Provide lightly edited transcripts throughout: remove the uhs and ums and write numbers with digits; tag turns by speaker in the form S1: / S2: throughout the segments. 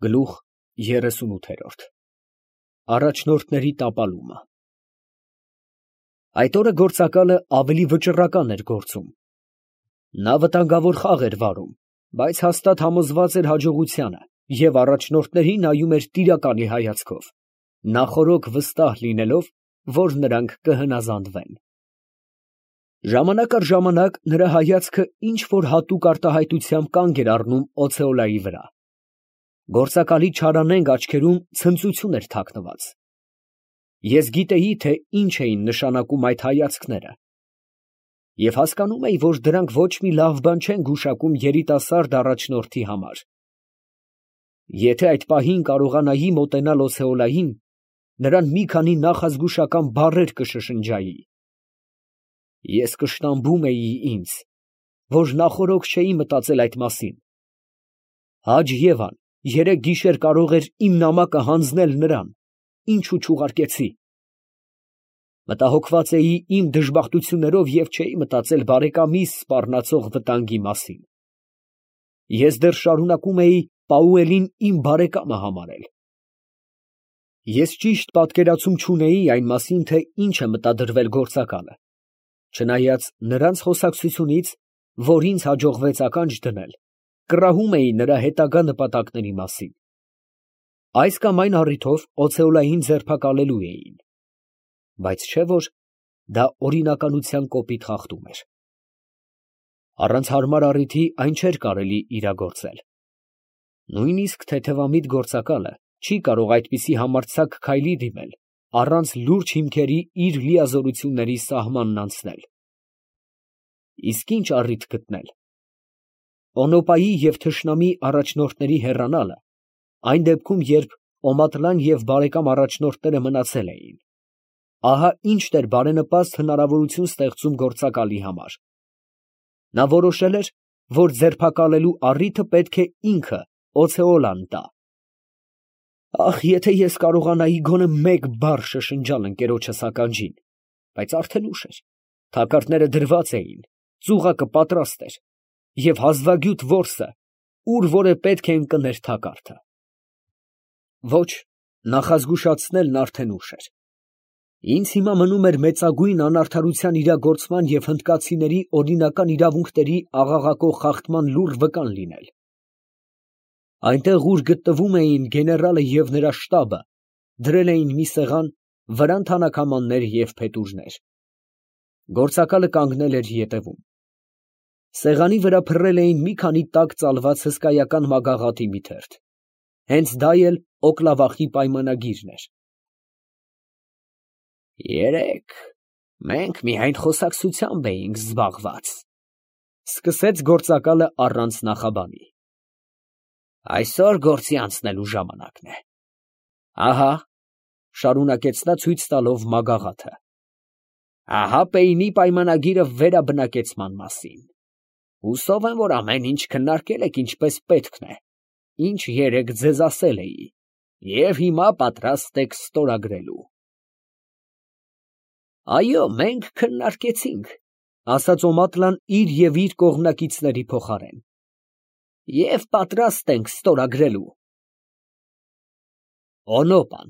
S1: Գլուխ 38 Առաջնորդների տապալումը։ Այդ օրը գործակալը ավելի վճռական էր գործում։ Նա վտանգավոր խաղ էր վարում, բայց հաստատ համոզված էր հաջողությանը և առաջնորդներին նայում էր տիրակալի հայացքով, նախօրոք վստահ լինելով, որ նրանք կհնազանդվեն։ Ժամանակ առ ժամանակ նրա հայացքը ինչ֊որ հատուկ արտահայտությամբ կանգ էր առնում օցեոլայի վրա։ Գործակալի չարանենգ աչքերում ցնծություն էր թաքնված։ Ես գիտեի, թե ինչ էին նշանակում այդ հայացքները, և հասկանում էի, որ դրանք ոչ մի լավ բան չեն գուշակում երիտասարդ առաջնորդի համար։ Եթե այդ պահին կարողանայի մոտենալ օցեոլային, նրան մի քանի նախազգուշական բառեր կշշնջայի։ Ես կշտամբում էի ինձ, որ նախօրոք չէի մտածել այդ մասին։ Հաջ Եվան երեկ գիշեր կարող էր իմ նամակը հանձնել նրան, ինչու չուղարկեցի։ Մտահոգված էի իմ դժբախտություններով և չէի մտածել բարեկամիս սպառնացող վտանգի մասին։ Ես դեռ շարունակում էի Պաուելին իմ բարեկամը համարել։ Ես ճիշտ պատկերացում չունեի այն մասին, թե ինչ է մտադրվել գործակալը, չնայած նրանց խոսակցությունից, որ ինձ հաջողվեց ականջ դնել, կռահում էի նրա հետագա նպատակների մասին։ Այս կամ այն առիթով օցեոլային ձերբակալելու էին, բայց չէ՞ որ դա օրինականության կոպիտ խախտում էր։ Առանց հարմար առիթի այն չէր կարելի իրագործել։ Նույնիսկ թեթևամիտ գործակալը չի կարող այդպիսի համարձակ քայլի դիմել, առանց լուրջ հիմքերի իր լիազորությունների սահմանն անցնել։ Իսկ ինչ առիթ գտնել։ Օնոպայի և թշնամի առաջնորդների հեռանալը, այն դեպքում, երբ Օմատլան և բարեկամ առաջնորդները մնացել էին, ահա ինչ էր բարենպաստ հնարավորություն ստեղծում գործակալի համար։ Նա որոշել էր, որ ձերբակալելու առիթը պետք է ինքը օցեոլան տա։ Ախ, եթե ես կարողանայի գոնե մեկ բառ շշնջալ ընկերոջս ականջին, բայց արդեն ուշ էր, թակարդները դրված էին, ծուղակը պատրաստ էր, և հազվագյուտ որսը ուր որ է պետք է ընկներ թակարդը։ Ոչ, նախազգուշացնելն արդեն ուշ էր։ Ինձ հիմա մնում էր մեծագույն անարդարության իրագործման և հնդկացիների օրինական իրավունքների աղաղակող խախտման լուռ վկան լինել։ Այնտեղ, ուր գտնվում էին գեներալը և նրա շտաբը, դրել էին մի սեղան, վրան թանաքամաններ և փետուրներ։ Գործակալը կանգնել էր ետևում։ Սեղանի վրա փռել էին մի քանի տաք ծալված հսկայական մագաղաթի մի թերթ։ Հենց դա էլ օկլավախի պայմանագիրն էր։ Երեկ մենք միայն խոսակցությամբ էինք զբաղված, ֊ սկսեց գործակալը առանց նախաբանի։ Այսօր գործի անցնելու ժամանակն է։ Ահա, ֊ շարունակեց նա ցույց տալով մագաղաթը, ահա Պեյնի պայմանագիրը վերաբնակեցման մասին։ Հուսով եմ, որ ամեն ինչ քննարկել եք ինչպես պետքն է, ինչ երեկ ձեզ ասել էի, և հիմա պատրաստ եք ստորագրելու։ Այո, մենք քննարկեցինք, ֊ ասաց Օմատլան իր և իր կողմնակիցների փոխարեն, և պատրաստ ենք ստորագրելու։ Օնոպան,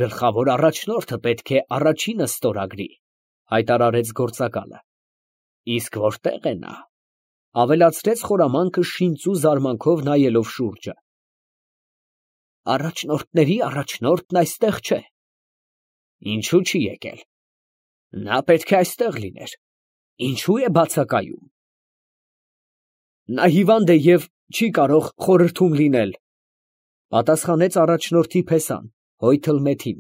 S1: գլխավոր առաջնորդը պետք է առաջինը ստորագրի, ֊ հայտարարեց գործակալը։ Իսկ որտե՞ղ է նա, ֊ ավելացրեց խորամանկը շինծու զարմանքով նայելով շուրջը։ Առաջնորդների առաջնորդն այստեղ չէ։ Ինչու չի եկել։ Նա պետք է այստեղ լիներ։ Ինչու է բացակայում։ Նա հիվանդ է և չի կարող խորհրդում լինել, ֊ պատասխանեց առաջնորդի փեսան, հոյթլ Մեթին։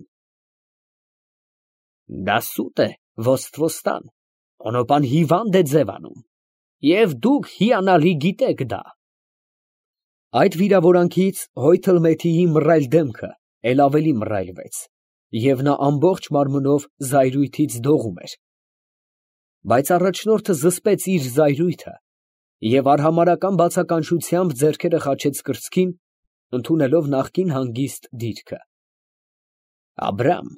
S1: Դա սուտ է, ոսթվոստան, Օնոպան հիվանդ է ձևանում, և դուք հիանալի գիտեք դա։ Այդ վիրավորանքից հոյթլ Մեթիի մռայլ դեմքը էլ ավելի մռայլվեց, և նա ամբողջ մարմնով զայրույթից դողում էր։ Բայց առաջնորդը զսպեց իր զայրույթը և արհամարհական բացականչությամբ ձեռքերը խաչեց կրծքին, ընդունելով նախկին հանգիստ դիրքը։ Աբրամ,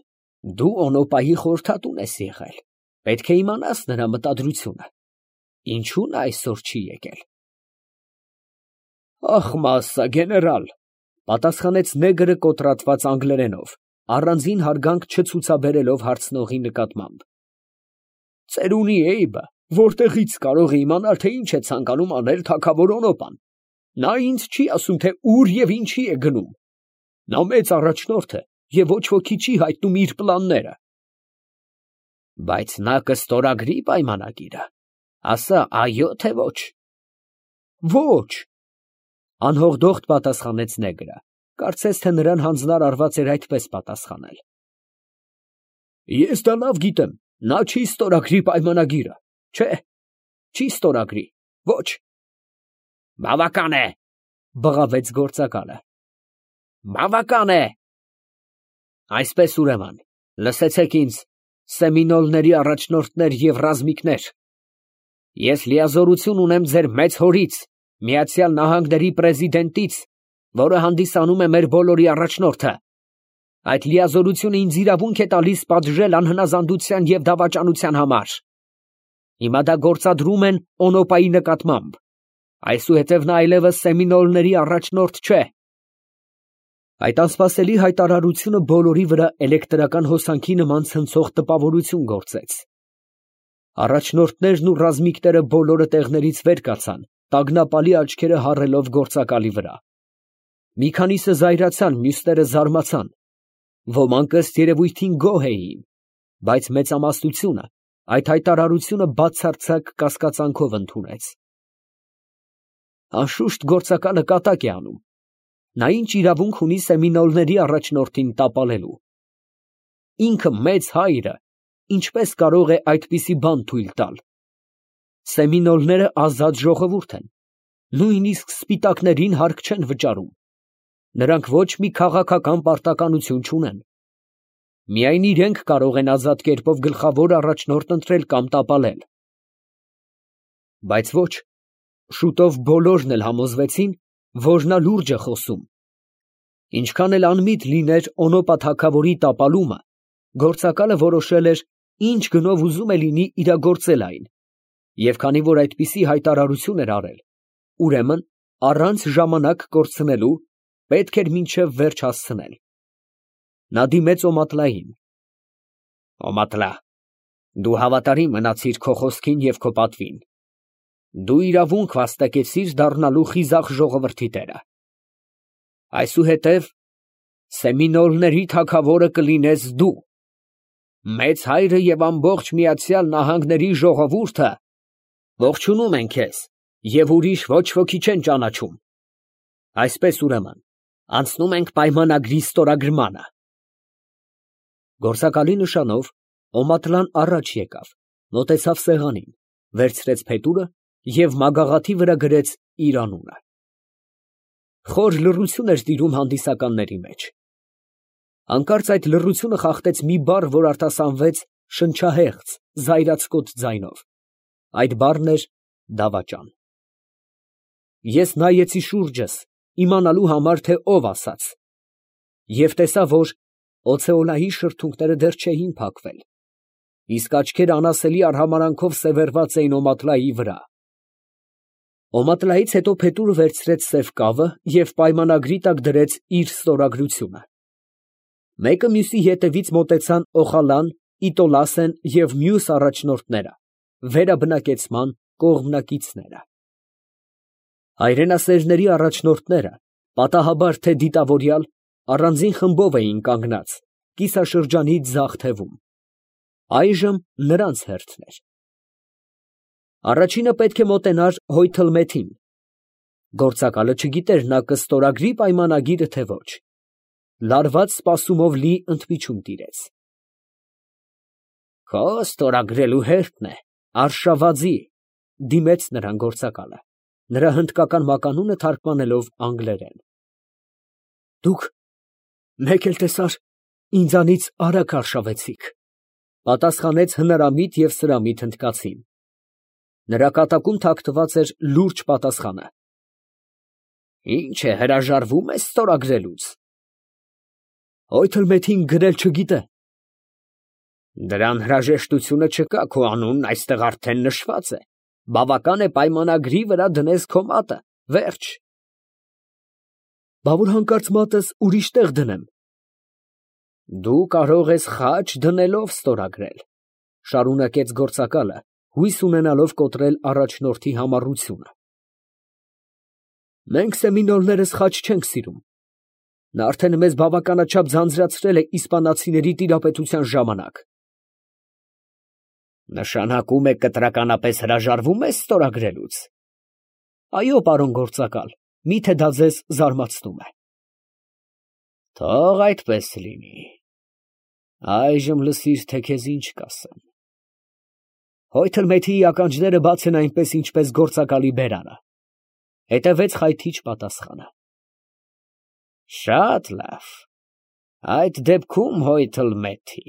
S1: դու Օնոպայի խորհրդատուն ես եղել, պետք է իմանաս նրա մտադրությունը։ Ինչու նա այսօր չի եկել։ Ախ, մասսա գեներալ, Պատասխանեց նեգրը կոտրատված անգլերենով, առանձին հարգանք չցուցաբերելով հարցնողի նկատմամբ։ Ծերունի Էյբը որտեղից կարող է իմանալ, թե ինչ է ցանկանում անել թագավոր Օնոպան։ Նա ինձ չի ասում, թե ուր և ինչի է գնում։ Նա մեծ առաջնորդ է և ոչ ոքի չի հայտնում իր պլանները։ Բայց նա կստորագրի պայմանագիրը, ասա այո թե ոչ։ Ոչ, անհողդողդ պատասխանեց նեգրը, կարծես թե նրան հանձնար արված էր այդպես պատասխանել։ Ես դա լավ գիտեմ, նա չի ստորագրի պայմանագիրը, չէ, չի ստորագրի, ոչ։ Բավական է, բղավեց գործակալը։ Բավական է։ Այսպես ուրեմն, լսեցեք ինձ, սեմինոլների առաջնորդներ և ռազմիկներ, ես լիազորություն ունեմ ձեր մեծ հորից, Միացյալ Նահանգների պրեզիդենտից, որը հանդիսանում է մեր բոլորի առաջնորդը։ Այդ լիազորությունը ինձ իրավունք է տալիս պատժել անհնազանդության և դավաճանության համար։ Հիմա դա գործադրում են Օնոպայի նկատմամբ, այսուհետև նա այլևս սեմինոլների առաջնորդ չէ։ Այդ անսպասելի հայտարարությունը բոլորի վրա էլեկտրական հոսանքի նման ցնցող տպավորություն գործեց։ Առաջնորդներն ու ռազմիկները բոլորը տեղներից վեր կացան, տագնապալի աչքերը հառելով գործակալի վրա։ Մի քանիսը զայրացան, մյուսները զարմացան։ Ոմանք ըստ երևույթին գոհ էին, բայց մեծամասնությունը այդ հայտարարությունը բացարձակ կասկածանքով ընդունեց։ Անշուշտ գործակալը կատակ է անում։ Նա ինչ իրավունք ունի սեմինոլների առաջնորդին տապալելու։ Ինքը մեծ հայրը ինչպես կարող է այդպիսի բան թույլ տալ։ Սեմինոլները ազատ ժողովուրդ են, նույնիսկ սպիտակներին հարկ չեն վճարում։ Նրանք ոչ մի քաղաքական պարտականություն չունեն։ Միայն իրենք կարող են ազատ կերպով գլխավոր առաջնորդ ընտրել կամ տապալել։ Բայց ոչ, շուտով բոլորն էլ համոզվեցին, որ նա լուրջ է խոսում։ Ինչքան էլ անմիտ լիներ Օնոպա թագավորի տապալումը, գործակալը որոշել էր, ինչ գնով ուզում է լինի իրագործել այն, և քանի որ այդպիսի հայտարարություն էր արել, ուրեմն առանց ժամանակ կորցնելու պետք էր մինչև վերջ հասցնել։ Նա դիմեց Օմատլային։ Օմատլա, դու հավատարիմ մնացիր քո խոսքին և քո պատվին։ Դու իրավունք վաստակեցիր դառնալու խիզախ ժողովրդի տերը։ Այսուհետև սեմինոլների թագավորը կլինես դու։ Մեծ հայրը և ամբողջ Միացյալ Նահանգների ժողովուրդը ողջունում են քեզ և ուրիշ ոչ ոքի չեն ճանաչում։ Այսպես ուրեմն, անցնում ենք պայմանագրի ստորագրմանը։ Գործակալի նշանով Օմատլան առաջ եկավ, մոտեցավ սեղանին, վերցրեց փետուրը և մագաղաթի վրա գրեց իր անունը։ Խոր լռություն էր տիրում հանդիսականների մեջ։ Հանկարծ այդ լռությունը խախտեց մի բառ, որ արտասանվեց շնչահեղձ, զայրացկոտ ձայնով։ Այդ բառն էր դավաճան։ Ես նայեցի շուրջս, իմանալու համար, թե ով ասաց, և տեսա, որ օցեոլայի շրթունքները դեռ չէին փակվել, իսկ աչքերը անասելի արհամարանքով սևեռված էին Օմատլայի վրա։ Օմատլայից հետո փետուրը վերցրեց սև կավը և պայմանագրի տակ դրեց իր ստորագրությունը։ Մեկը մյուսի ետևից մոտեցան Օխալան, Իտոլասեն և մյուս առաջնորդները, վերաբնակեցման կողմնակիցները։ Հայրենասերների առաջնորդները, պատահաբար թե դիտավորյալ, առանձին խմբով էին կանգնած, կիսաշրջանի ձախ թևում։ Այժմ նրանց հերթն էր։ Առաջինը պետք է մոտենար Հոյթլմեթին։ Գործակալը չգիտեր նա կստորագրի պայմանագիրը թե ոչ։ Լարված սպասումով լի ընդմիջում տիրեց։ Քո ստորագրելու հերթն է, Արշավադի, դիմեց նրան գործակալը, նրա հնդկական մականունը թարգմանելով անգլերեն։ Դուք մեկ էլ տեսար ինձանից արագ արշավեցիք, պատասխանեց հնարամիտ և սրամիտ հնդկացին։ Նրա կատակում թաքնված էր լուրջ պատասխանը։ Ինչ է, հրաժարվո՞ւմ ես ստորագրելուց։ Հոյթլմեթին գրել չգիտե։ Դրան հրաժեշտությունը չկա, քո անունն այստեղ արդեն նշված է։ Բավական է պայմանագրի վրա դնես քո մատը, վերջ։ Բա որ հանկարծ մատս ուրիշ տեղ դնեմ։ Դու կարող ես խաչ դնելով ստորագրել, շարունակեց գործակալը, հույս ունենալով կոտրել առաջնորդի համառությունը։ Մենք սեմինոլներս խաչ չենք սիրում։ Նա արդեն մեզ բավականաչափ ձանձրացրել է իսպանացիների տիրապետության ժամանակ։ Նշանակում է կտրականապես հրաժարվում ես ստորագրելուց։ Այո, պարոն գործակալ, միթե դա ձեզ զարմացնում է։ Թող այդպես լինի։ Այժմ լսիր, թե քեզ ինչ կասեմ։ Հոյթըլմեթիի ականջները բաց են այնպես, ինչպես գործակալի բերանը։ Հետևեց խայթիչ պատասխանը։ Շատ լավ։ Այդ դեպքում Հոյթըլմեթի,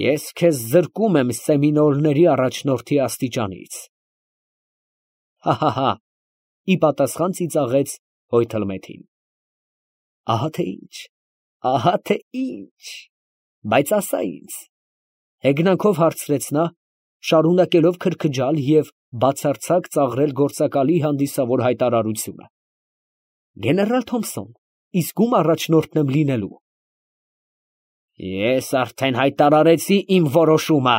S1: ես քեզ զրկում եմ սեմինոլների առաջնորդի աստիճանից։ Հա, ի պատասխան ծիծաղեց Հոյթըլմեթին։ Ահա թե ինչ, բայց ասա ինձ, հեգնանքով հարցրեց նա, շարունակելով քրքջալ և բացարձակ ծաղրել գործակալի հանդիսավոր հայտարարությունը։ Գեներալ Թոմփսոն, իսկ ում առաջնորդն եմ լինելու։ Ես արդեն հայտարարեցի իմ որոշումը,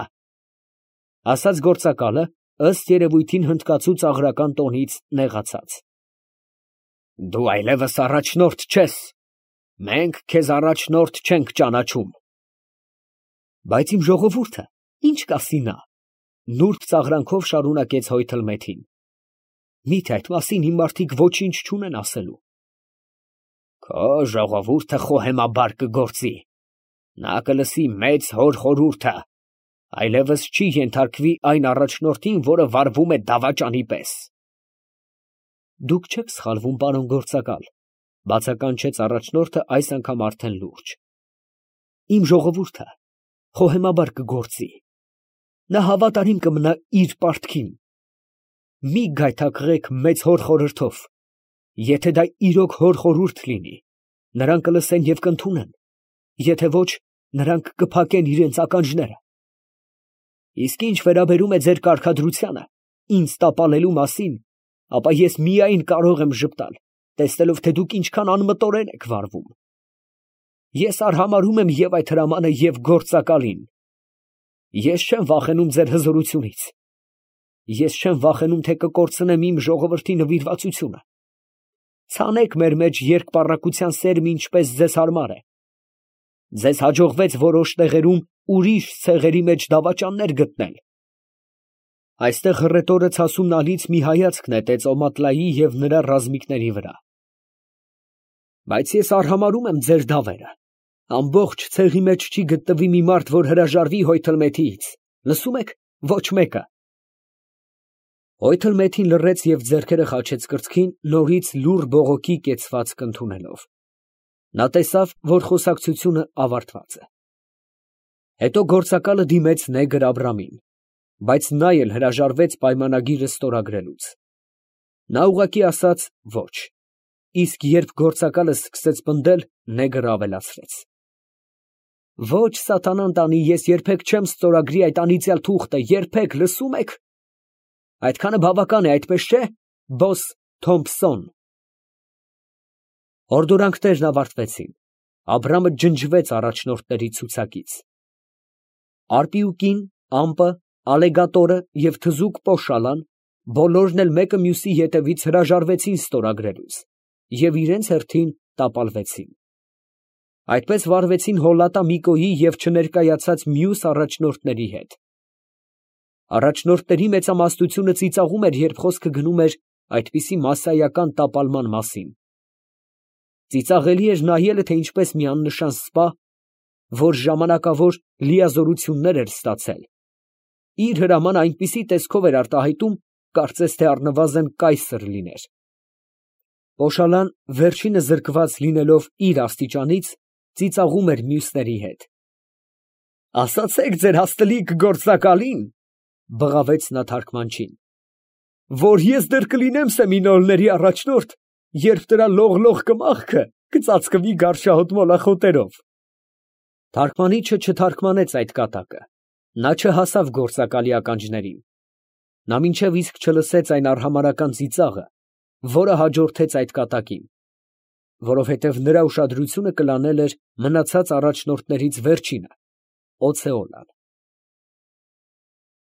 S1: ասաց գործակալը, ըստ երևույթին հնդկացու ծաղրական տոնից նեղացած։ Դու այլևս առաջնորդ չես, մենք քեզ առաջնորդ չենք ճանաչում։ Բայց իմ ժողովուրդը ինչ կասի նա, նուրբ ծաղրանքով շարունակեց Հոյթըլմեթին։ Միթե այդ մասին իմ մարդիկ ոչինչ չունեն ասելու։ Քո ժողովուրդը խոհեմաբար կգործի, նա կլսի մեծ հոր խորհուրդը, այլևս չի ենթարկվի այն առաջնորդին, որը վարվում է դավաճանի պես։ Դուք չեք սխալվում, պարոն գործակալ, բացականչեց առաջնորդը այս անգամ արդեն լուրջ։ Իմ ժողովուրդը խոհեմաբար կգործի, նա հավատարիմ կմնա իր պարտքին։ Մի գայթակղեք մեծ հոր խորհրդով, եթե դա իրոք հոր խորհուրդ լինի, նրանք կլսեն և կընդունեն, եթե ոչ, նրանք կփակեն իրենց ականջները։ Իսկ ինչ վերաբերում է ձեր կարգադրությանը, ինձ տապալելու մասին, ապա ես միայն կարող եմ ժպտալ, տեսնելով, թե դուք ինչքան անմտորեն եք վարվում։ Ես արհամարհում եմ և այդ հրամանը, և գործակալին։ Ես չեմ վախենում ձեր հզորությունից։ Ես չեմ վախենում, թե կկորցնեմ իմ ժողովրդի նվիրվածությունը։ Ցանեք մեր մեջ երկպառակտության սերմ, ինչպես ձեզ հարմար է։ Ձեզ հաջողվեց որոշ տեղերում ուրիշ ցեղերի մեջ դավաճաններ գտնել։ Այստեղ հռետորը ցասումնալից մի հայացք նետեց Օմատլայի և նրա ռազմիկների վրա։ Բայց ես արհամարհում եմ ձեր դավերը։ Ամբողջ ցեղի մեջ չի գտնվի մի մարդ, որ հրաժարվի Հոյթըլմեթիից։ Լսում եք, ոչ մեկը։ Հոյթըլմեթին լռեց և ձեռքերը խաչեց կրծքին, նորից լուռ բողոքի կեցվածք ընդունելով։ Նա տեսավ, որ խոսակցությունը ավարտված է։ Հետո գործակալը դիմեց նեգր Աբրամին, բայց նա էլ հրաժարվեց պայմանագիրը ստորագրելուց։ Նա ուղղակի ասաց ոչ, իսկ երբ գործակալը սկսեց պնդել, նեգրը ավելացրեց. Ոչ, սատանան տանի, ես երբեք չեմ ստորագրի այդ անիծյալ թուղթը, երբեք, լսում եք։ Այդքանը բավական է, այդպես չէ, բոս Թոմփսոն։ Հորդորանքներն ավարտվեցին։ Աբրամը ջնջվեց առաջնորդների ցուցակից։ Արպիուկին, ամպը, ալեգատորը և թզուկ Պոշալան բոլորն էլ մեկը մյուսի ետևից հրաժարվեցին ստորագրելուց և իրենց հերթին տապալվեցին։ Այդպես վարվեցին Հոլատա Միկոյի և չներկայացած մյուս առաջնորդների հետ։ Առաջնորդների մեծամասնությունը ծիծաղում էր, երբ խոսքը գնում էր այդպիսի մասսայական տապալման մասին։ Ծիծաղելի էր նայելը, թե ինչպես մի աննշան սպա, որ ժամանակավոր լիազորություններ էր ստացել, իր հրամանը այնպիսի տեսքով էր արտահայտում, կարծես թե առնվազն կայսր լիներ։ Պոշալան վերջինը զրկված լինելով իր աստիճանից, ծիծաղում էր մյուսների հետ։ Ասացեք ձեր հաստլիկ գործակալին, բղավեց նա թարգմանչին, որ ես դեռ կլինեմ սեմինոլների առաջնորդ, երբ դրա լող-լող կմախքը կծածկվի գարշահոտ մոլախոտերով։ Թարգմանիչը չթարգմանեց այդ կատակը, նա չհասավ գործակալի ականջներին։ Նա մինչև իսկ չլսեց այն արհամարհական ծիծաղը, որը հաջորդեց այդ կատակին։ որովհետև նրա ուշադրությունը կլանել էր մնացած առաջնորդներից վերջինը՝ Օցեոնան։